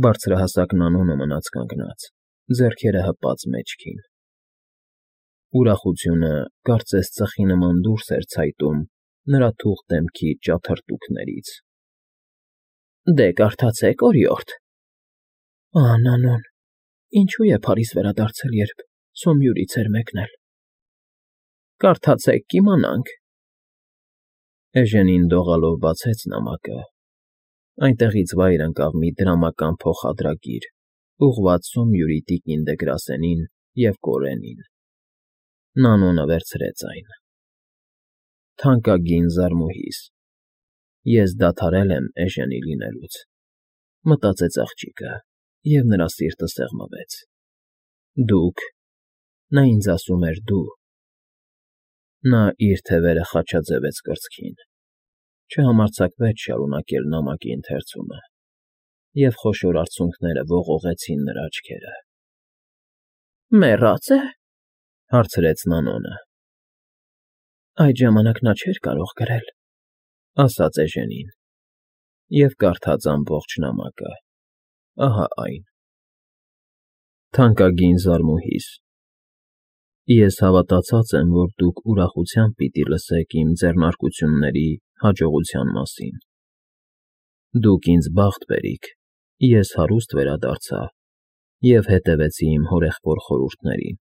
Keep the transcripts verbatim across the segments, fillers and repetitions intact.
Բարձրահասակ Նանոնը մնաց կանգնած, ձեռքերը հպած մեջքին. ուրախությունը կարծես ծխի նման դուրս էր ցայտում նրա թուխ դեմքի ճաթրտուքներից։ ֊ Դե, կարդացեք, օրիորդ… Ահա, Նանոն, ինչո՞ւ է Փարիզ վերադարձել, երբ Սոմյուրից էր մեկնել… ֊ Կարդացեք, կիմանանք… Էժենին դողալով բացեց նամակը, այնտեղից վայր ընկավ մի դրամական փոխադրագիր, ուղղված Սոմյուրի տիկին Դեգրասենին և կորենին։ Նանոնը վերցրեց այն։ Թանկագին Զարմուհիս, ես դադարել եմ էժենի լինելուց, մտածեց աղջիկը, և նրա սիրտը սեղմվեց։ Դուք… նա ինձ ասում էր դու… Նա իր թևերը խաչաձևեց կրծքին, չհամարձակվեց շարունակել նամակի ընթերցումը, և խոշոր արցունքները ողողեցին նրա աչքերը։ ֊ Մեռա՞ծ է,֊ հարցրեց Նանոնը։ Այդ ժամանակ նա չէր կարող գրել,֊ ասաց էժենին, և կարդաց ամբողջ նամակը, ահա այն. Թանկագին Զարմուհիս, ես հավատացած եմ, որ դուք ուրախությամբ պիտի լսեք իմ ձեռնարկությունների հաջողության մասին. դուք ինձ բախտ բերիք, ես հարուստ վերադարձա և հետևեցի իմ հորեղբոր խորհուրդներին,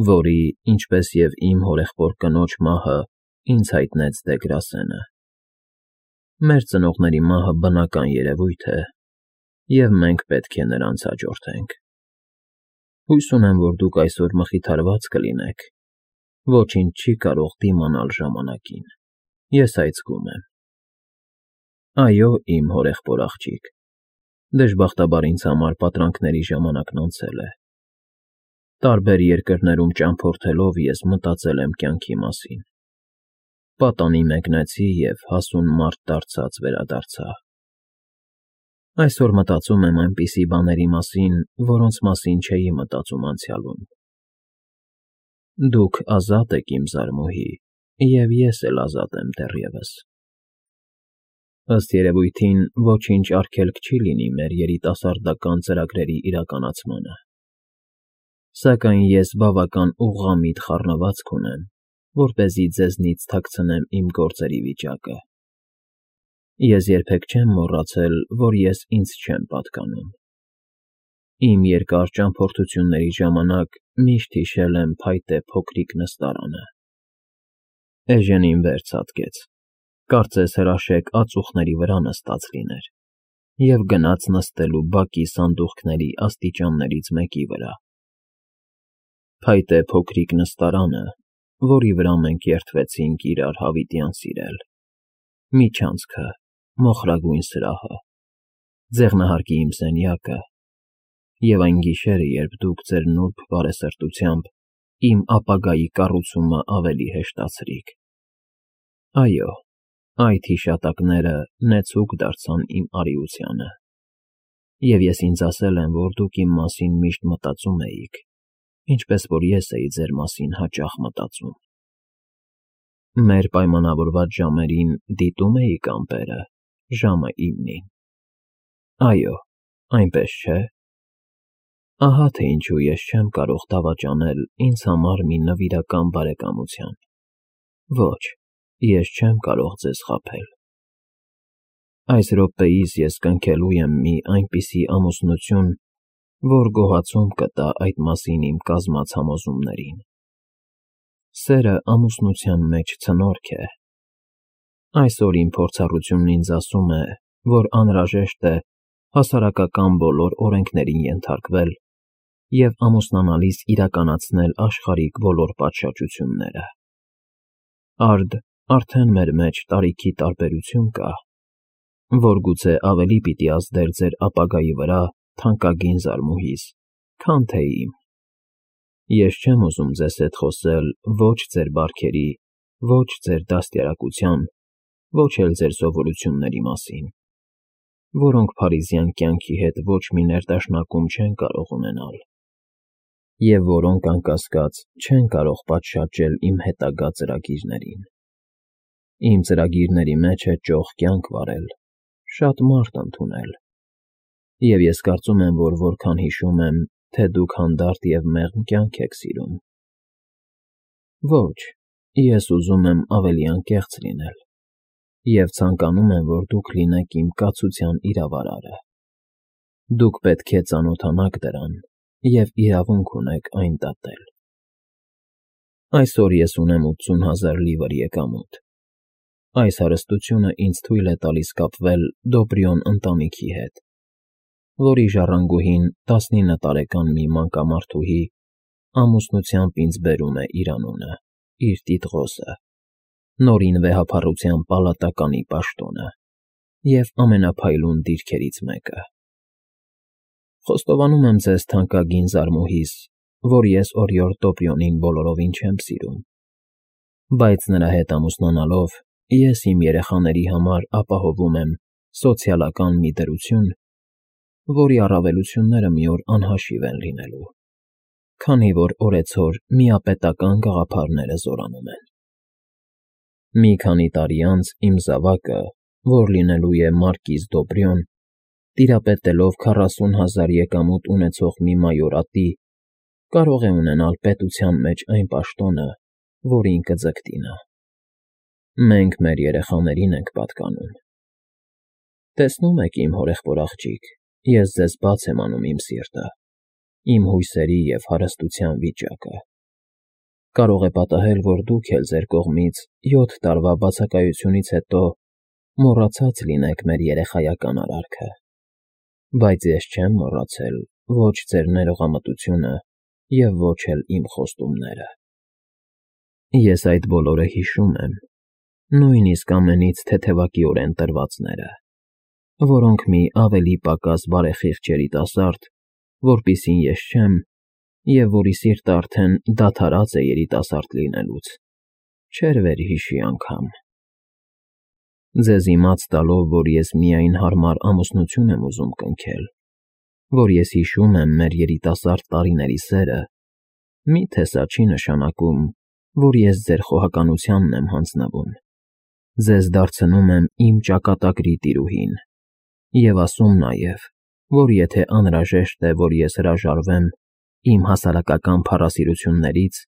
որի, ինչպես և իմ հորեղբոր կնոջ մահը ինձ հայտնեց Դեգրասենը։ Մեր ծնողների մահը բնական երևույթ է, և մենք պետք է նրանց հաջորդենք։ Հույս ունեմ, որ դուք այսօր մխիթարված կլինեք, ոչինչ չի կարող դիմանալ ժամանակին, ես այցգում եմ։ Այո, իմ հորեղբոր աղջիկ, դժբախտաբար ինձ համար պատրանքների ժամանակն անցել է։ Տարբեր երկրներում ճամփորդելով ես մտածել եմ կյանքի մասին, պատանի մեկնեցի և հասուն մարդ դարձած վերադարձա։ Այսօր մտածում եմ այնպիսի բաների մասին, որոնց մասին չէի մտածում անցյալում։ Դուք ազատ եք, իմ Զարմուհի, և ես էլ ազատ եմ դեռևս։ Ըստ երևույթին, ոչինչ արգելք չի լինի մեր երիտասարդական ծրագրերի իրականացմանը։ Սակայն ես բավական ուղղամիտ խառնվածք ունեմ, որպեսզի ձեզնից թաքցնեմ իմ գործերի վիճակը։ Ես երբեք չեմ մոռացել, որ ես ինձ չեմ պատկանում։ Իմ երկար ճամփորդությունների ժամանակ միշտ հիշել եմ փայտե փոքրիկ նստարանը… Էժենին վեր ցատկեց, կարծես հրաշեկ ածուխների վրա նստած լիներ, և գնաց նստելու բակի սանդուղքների աստիճաններից մեկի վրա։ Փայտե փոքրիկ նստարանը, որի վրա մենք երդվեցինք իրար հավիտյան սիրել, միջանցքը, մոխրագույն սրահը, ձեղնահարկի իմ սենյակը, և այն գիշերը, երբ դուք ձեր նուրբ բարեսրտությամբ իմ ապագայի կառուցումը ավելի հեշտացրիք… Այո, այդ հիշատակները նեցուկ դարձան իմ արիությանը, և ես ինձ ասել եմ, որ դուք իմ մասին միշտ մտածում էիք, ինչպես որ ես էի ձեր մասին հաճախ մտածում։ Մեր պայմանավորված ժամերին դիտո՞ւմ էիք ամպերը, ժամը իննին։ Այո, այնպես չէ՞։ Ահա թե ինչու ես չեմ կարող դավաճանել ինձ համար մի նվիրական բարեկամության։ Ոչ, ես չեմ կարող ձեզ խաբել։ Այս րոպեիս ես կնքելու եմ մի այնպիսի ամուսնություն, որ գոհացում կտա այդ մասին իմ կազմած համոզումներին։ Սերը ամուսնության մեջ ցնորք է։ Այսօր իմ փորձառությունն ինձ ասում է, որ անհրաժեշտ է հասարակական բոլոր օրենքներին ենթարկվել և ամուսնանալիս իրականացնել աշխարհիկ բոլոր պատշաճությունները։ Արդ արդեն մեր մեջ տարիքի տարբերություն կա, որ գուցե ավելի պիտի ազդեր ձեր ապագայի վրա, թանկագին Զարմուհիս, քան թե իմ։ Ես չեմ ուզում ձեզ հետ խոսել ոչ ձեր բարքերի, ոչ ձեր դաստիարակության, ոչ էլ ձեր սովորությունների մասին, որոնք փարիզյան կյանքի հետ ոչ մի ներդաշնակում չեն կարող ունենալ, և որոնք, անկասկած, չեն կարող պատշաճել իմ հետագա ծրագիրներին։ Իմ ծրագրերի մեջ է ճոխ կյանք վարել, շատ մարդ ընդունել, Եվ ես կարծում եմ, որ որքան հիշում եմ, թե դուք հանդարտ և մեղմ կյանք եք սիրում։ Ոչ, ես ուզում եմ ավելի անկեղծ լինել, և ցանկանում եմ, որ դուք լինեք իմ կացության իրավարարը։ Դուք պետք է ծանոթանաք դրան և իրավունք ունեք այն դատել։ Այսօր ես ունեմ ութսուն հազար լիվր եկամուտ։ Այս հարստությունը ինձ թույլ է տալիս կապվել Դոբրիոն ընտանիքի հետ, որի ժառանգուհին տասնինը տարեկան մի մանկամարդուհի ամուսնությամբ ինձ բերում է իր անունը, իր տիտղոսը, նորին վեհափառության պալատականի պաշտոնը և ամենափայլուն դիրքերից մեկը։ Խոստովանում եմ ձեզ, թանկագին զարմուհիս, որ ես օրիորդ Դոբրիոնին բոլորովին չեմ սիրում, բայց նրա հետ ամուսնանալով ես իմ երեխաների համար ապահովում եմ սոցիալական մի դրություն, որի առավելությունները մի օր անհաշիվ են լինելու, քանի որ օրեցօր միապետական գաղափարները զորանում են։ Մի քանի տարի անց իմ զավակը, որ լինելու է մարկիզ Դոբրիոն, տիրապետելով քառասուն հազար եկամուտ ունեցող մի մայորատի, կարող է ունենալ պետության մեջ այն պաշտոնը, որին կձգտի նա։ Մենք մեր երեխաներին ենք պատկանում։ Տեսնում եք, իմ հորեղբոր աղջիկ, ես ձեզ բաց եմ անում իմ սիրտը, իմ հույսերի և հարստության վիճակը։ Կարող է պատահել, որ դուք էլ ձեր կողմից յոթ տարվա բացակայությունից հետո մոռացած լինեք մեր երեխայական արարքը, բայց ես չեմ մոռացել ոչ ձեր ներողամտությունը և ոչ էլ իմ խոստումները։ Ես այդ բոլորը հիշում եմ, նույնիսկ ամենից թեթևակիորեն տրվածները, որոնք մի ավելի պակաս բարեխիղճ երիտասարդ, որպիսին ես չեմ, և որի սիրտը արդեն դադարած է երիտասարդ լինելուց, չէր վերհիշի անգամ։ Ձեզ իմաց տալով, որ ես միայն հարմար ամուսնություն եմ ուզում կնքել, որ ես հիշում եմ մեր երիտասարդ տարիների սերը, մի՞թե սա չի նշանակում, որ ես ձեր խոհականությանն եմ հանձնվում, ձեզ դարձնում եմ իմ ճակատագրի տիրուհին և ասում նաև, որ եթե անհրաժեշտ է, որ ես հրաժարվեմ իմ հասարակական փառասիրություններից,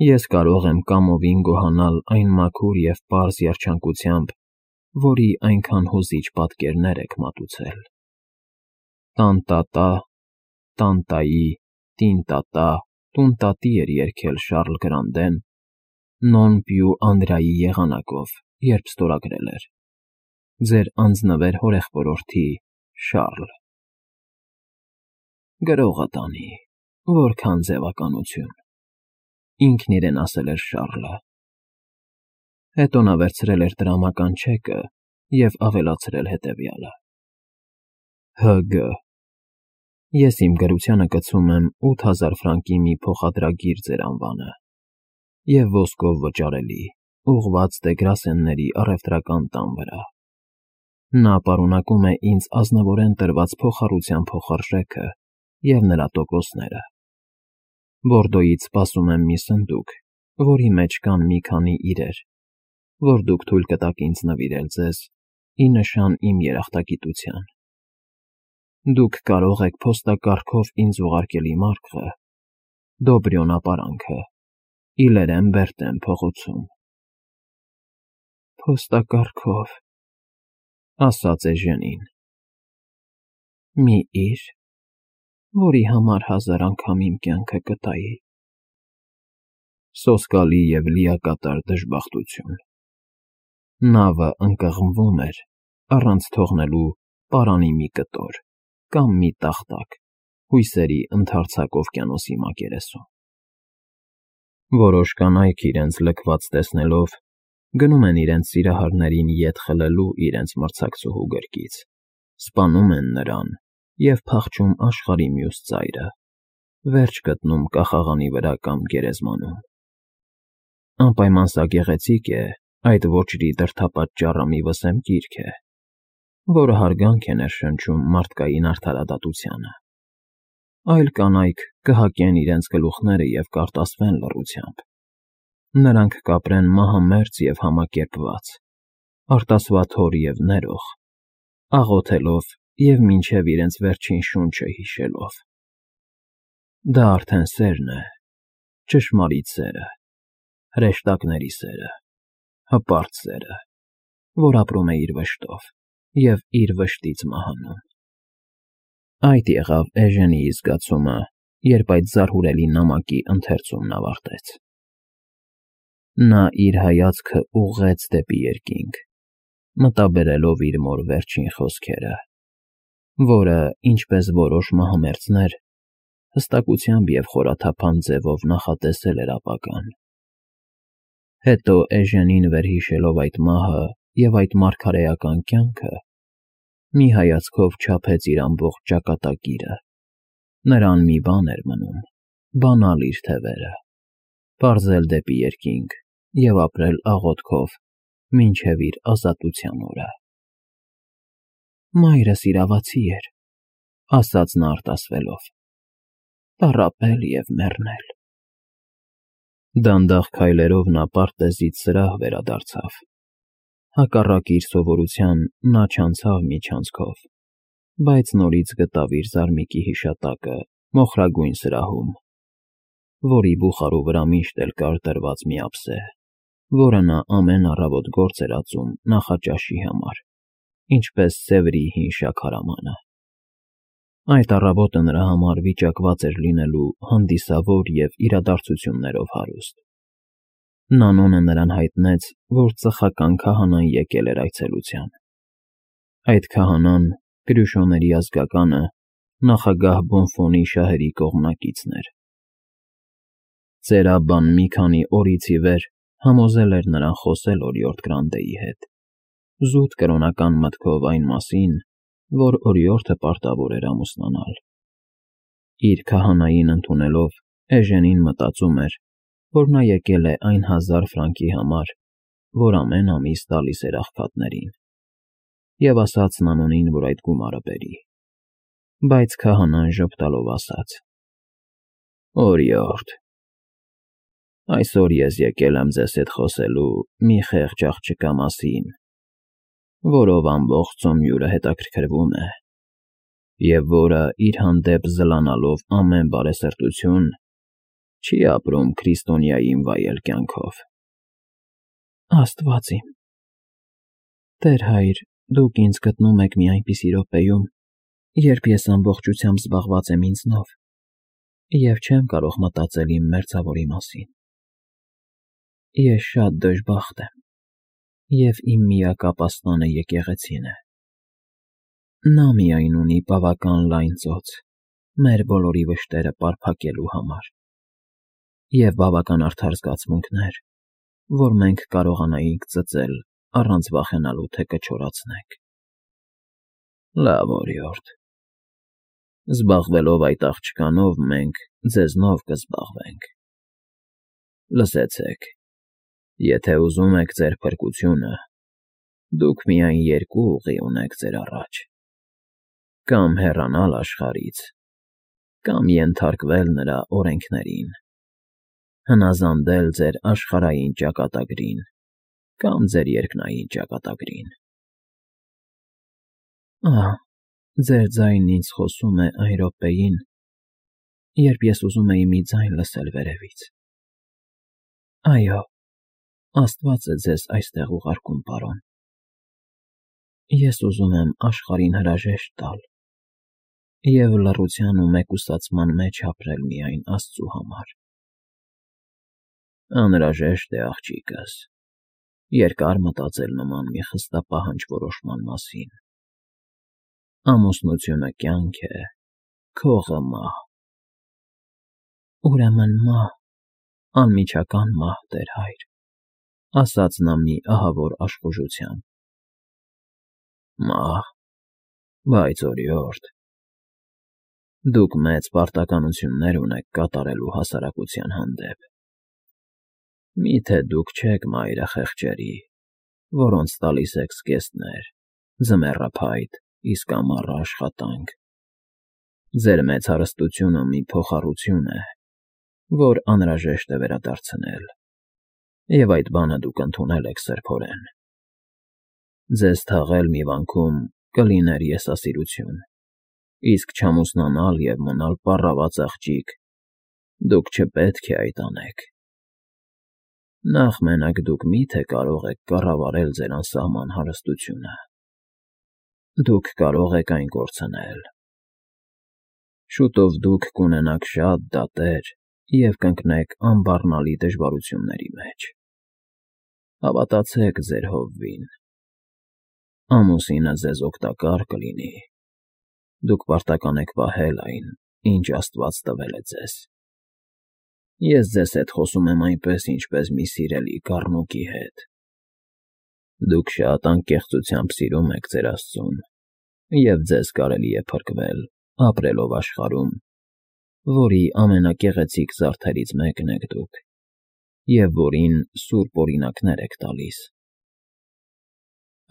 ես կարող եմ կամովին գոհանալ այն մաքուր և պարզ երջանկությամբ, որի այնքան հուզիչ պատկերներ եք մատուցել։ Տան֊տա֊տա, տան֊տայի, տին֊տա֊տա, տուն֊տատի էր երգել Շառլ Գրանդեն «Non più Andrai» եղանակով, երբ ստորագրել էր. Ձեր անձնվեր հորեղբորորդի Շառլ։ Գրողը տանի, որքան ձևականություն, ինքն իրեն ասել էր Շառլը։ Հետո նա վերցրել էր տրամական չեկը և ավելացրել հետևյալը. Հ Գ Ես իմ գրությանը կցում եմ ութ հազար ֆրանկի մի փոխադրագիր ձեր անվանը և ոսկով վճարելի, ուղղված Դեգրասենների առևտրական տան վրա։ Նա պարունակում է ինձ ազնվորեն տրված փոխառության փոխարժեքը և նրա տոկոսները։ Բորդոյից սպասում եմ մի սնդուկ, որի մեջ կան մի քանի իրեր, որ դուք թույլ կտաք ինձ նվիրել ձեզ ի նշան իմ երախտագիտության։ Դուք կարող եք փոստակառքով ինձ ուղարկել իմ արկղը, Դոբրիոն ապարանքը, Իլերեն Բերտեն փողոցում։ Փոստակառքով, ասաց Էժենին։ Մի իր, որի համար հազար անգամ իմ կյանքը կտայի։ Սոսկալի և լիակատար դժբախտություն։ Նավը ընկղմվում էր, առանց թողնելու պարանի մի կտոր կամ մի տախտակ հույսերի ընդարձակ օվկիանոսի մակերեսում։ Որոշ կանայք իրենց լքված տեսնելով գնում են իրենց սիրահարներին ետ խլելու իրենց մրցակցուհու գրկից, սպանում են նրան և փախչում աշխարհի մյուս ծայրը, վերջ գտնում կախաղանի վրա կամ գերեզմանում։ Անպայման սա գեղեցիկ է, այդ ոճրի դրդապատ ճառամի վսեմ գիրք է, որը հարգանք է ներշնչում մարդկային արդարադատությանը։ Այլ կանայք կհակեն իրենց գլուխները և կարտասվեն լռությամբ։ Նրանք կապրեն մահամերձ և համակերպված, արտասվաթոր և ներող, աղոթելով և մինչև իրենց վերջին շունչը հիշելով։ Դա արդեն սերն է, ճշմարիտ սերը, հրեշտակների սերը, հպարտ սերը, որ ապրում է իր վշտով և իր վշտից մահանում։ Այդ եղավ Էժենիի զգացումը, երբ այդ զարհուրելի նամակի ընթերցումն ավարտեց։ Նա իր հայացքը ուղղեց դեպի երկինք, մտաբերելով իր մոր վերջին խոսքերը, որը, ինչպես որոշ մահամերձներ, հստակությամբ և խորաթափանց ձևով նախատեսել էր ապագան։ Հետո Էժենին վերհիշելով այդ մահը և այդ մարգարեական կյանքը, մի հայացքով չափեց իր ամբողջ ճակատագիրը, նրան մի բան էր մնում, բանալ իր թևերը, պարզել դեպի երկինք և ապրել աղոթքով մինչև իր ազատության օրը։ Մայրս իրավացի էր, ասաց նա արտասվելով, տառապել և մեռնել։ Դանդաղ քայլերով նա պարտեզից սրահ վերադարձավ։ Հակառակ իր սովորության նա չանցավ միջանցքով, բայց նորից գտավ իր զարմիկի հիշատակը մոխրագույն սրահում, որի բուխարու վրա միշտ էլ կար դրված մի ափսե, որը նա ամեն առավոտ գործ էր ածում նախաճաշի համար, ինչպես Սևրի հին շաքարամանը։ Այդ առավոտը նրա համար վիճակված էր լինելու հանդիսավոր և իրադարձություններով հարուստ։ Նանոնը նրան հայտնեց, որ ծխական քահանան եկել էր այցելության։ Այդ քահանան, Կրյուշոների ազգականը, նախագահ Բոնֆոնի շահերի կողմնակիցն էր։ Ծերաբան մի քանի օրից ի վեր համոզել էր նրան խոսել օրիորդ Գրանդեի հետ, զուտ կրոնական մտքով այն մասին, որ օրիորդը պարտավոր էր ամուսնանալ։ Իր քահանային ընդունելով, Էժենին մտածում էր, որ նա եկել է այն հազար ֆրանկի համար, որ ամեն ամիս տալիս էր աղքատներին, և ասաց Նանոնին, որ այդ գումարը բերի։ Բայց քահանան ժպտալով ասաց. «Օրիորդ, այսօր ես եկել եմ ձեզ հետ խոսելու մի խեղճ աղջկա մասին, որով ամբողջ ծոմյուռը հետաքրքրվում է, և որը, իր հանդեպ զլանալով ամեն բարեսրտություն, չի ապրում քրիստոնյային վայել կյանքով»։ Աստված իմ, Տեր հայր, դուք ինձ գտնում եք մի այնպիսի րոպեում, երբ ես ամբողջությամբ զբաղված եմ ինձնով և չեմ կարող մտածել իմ մերձավորի մասին։ Ես շատ դժբախտ եմ, և իմ միակ ապաստանը եկեղեցին է։ Նա միայն ունի բավական լայն ծոց մեր բոլորի վշտերը պարփակելու համար և բավական արդար զգացմունքներ, որ մենք կարողանայինք ծծել առանց վախենալու, թե կչորացնենք։ Լավ, օրիորդ, զբաղվելով այդ աղջկանով, մենք ձեզնով կզբաղվենք։ Լսեցեք, եթե ուզում եք ձեր փրկությունը, դուք միայն երկու ուղի ունեք ձեր առաջ. կամ հեռանալ աշխարհից, կամ ենթարկվել նրա օրենքներին, հնազանդել ձեր աշխարհային ճակատագրին կամ ձեր երկնային ճակատագրին։ Ահ, ձեր ձայնն ինձ խոսում է այն րոպեին, երբ ես ուզում էի մի ձայն լսել վերևից։ Այո, Աստված է ձեզ այստեղ ուղարկում, պարոն։ Ես ուզում եմ աշխարհին հրաժեշտ տալ և լռության ու մեկուսացման մեջ ապրել միայն Աստծու համար։ Անհրաժեշտ է, աղջիկս, երկար մտածել նման մի խստապահանջ որոշման մասին։ Ամուսնությունը կյանք է, քողը մահ։ Ուրեմն մահ, անմիջական մահ, Տեր հայր, ասաց նա մի ահավոր աշխուժությամբ։ Մահ, բայց օրիորդ, դուք մեծ պարտականություններ ունեք կատարելու հասարակության հանդեպ։ Մի՞թե դուք չեք մայրը խեղճերի, որոնց տալիս եք զգեստներ, ձմեռափայտ, իսկ ամառը աշխատանք։ Ձեր մեծ հարստությունը մի փոխառություն է, որ անհրաժեշտ է վերադարձնել, և այդ բանը դուք ընդունել եք սրբորեն։ Ձեզ թաղել մի վանքում կլիներ եսասիրություն, իսկ չամուսնանալ և մնալ պառաված աղջիկ դուք չպետք է այդ անեք։ Նախ մենակ դուք մի՞թե կարող եք կառավարել ձեր անսահման հարստությունը։ Դուք կարող եք այն կորցնել։ Շուտով դուք կունենաք շատ դատեր և կընկնեք անբառնալի դժվարությունների մեջ։ Հավատացեք ձեր հովվին։ Ամուսինը ձեզ օգտակար կլինի։ Դուք պարտական եք պահել այն, ինչ աստված տվել է ձեզ։ Ես ձեզ հետ խոսում եմ այնպես, ինչպես մի սիրելի կառնուկի հետ։ Դուք շատ անկեղծությամբ սիրում եք ձեր Աստծուն, և ձեզ կարելի է փրկվել, ապրելով աշխարհում, որի ամենագեղեցիկ զարդերից մեկն եք դուք, և որին սուրբ օրինակներ եք տալիս։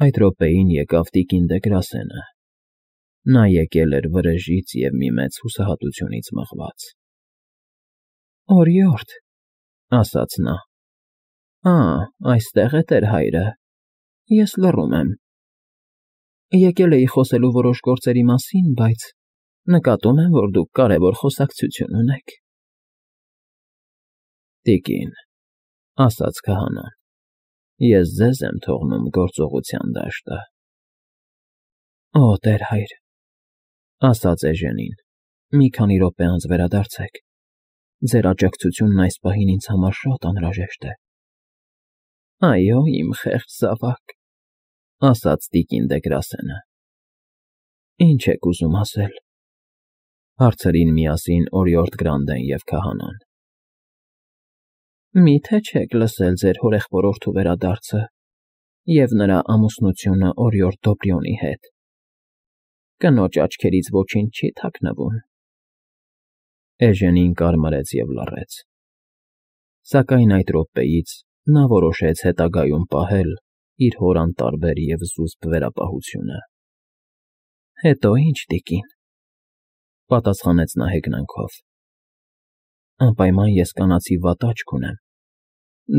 Այդ րոպեին եկավ տիկին Դեգրասենը։ Նա եկել էր վրեժից և մի մեծ հուսահատությունից մղված։ ֊ Օրիորդ,֊ ասաց նա,֊ ա, այստեղ է տեր հայրը, ես լռում եմ։ Եկել էի խոսելու որոշ գործերի մասին, բայց նկատում եմ, որ դուք կարևոր խոսակցություն ունեք։ ֊ Տիկին,֊ ասաց քահանան,֊ ես ձեզ եմ թողնում գործողության դաշտը։ ֊ Օ, տեր հայր,֊ ասաց Էժենին,֊ մի քանի րոպե անց վերադարձեք։ Ձեր աջակցությունն այս պահին ինձ համար շատ անհրաժեշտ է։ ֊ Այո, իմ խեղճ զավակ,֊ ասաց տիկին Դեգրասենը։ ֊ Ի՞նչ եք ուզում ասել,֊ հարցրին միասին օրիորդ Գրանդեն և քահանան։ ֊ Մի՞թե չեք լսել ձեր հորեղբորորդու վերադարձը և նրա ամուսնությունը օրիորդ Դոբրյոնի հետ։ Կնոջ աչքերից ոչինչ չի թաքնվում։ Էժենին կարմրեց և լռեց։ Սակայն այդ րոպեից նա որոշեց հետագայում պահել իր հոր անտարբեր և զուսպ վերապահությունը։ ֊ Հետո ի՞նչ, տիկին,֊ պատասխանեց նա հեգնանքով։ ֊ Անպայման ես կանացի վատ աչք ունեմ,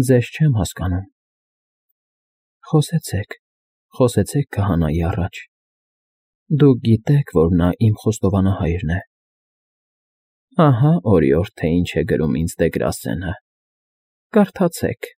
ձեզ չեմ հասկանում։ ֊ Խոսեցեք, խոսեցեք քահանայի առաջ։ Դուք գիտեք, որ նա իմ խոստովանահայրն է։ Ահա, օրիորդ, թե ինչ է գրում ինձ Դեգրասենը, կարդացեք։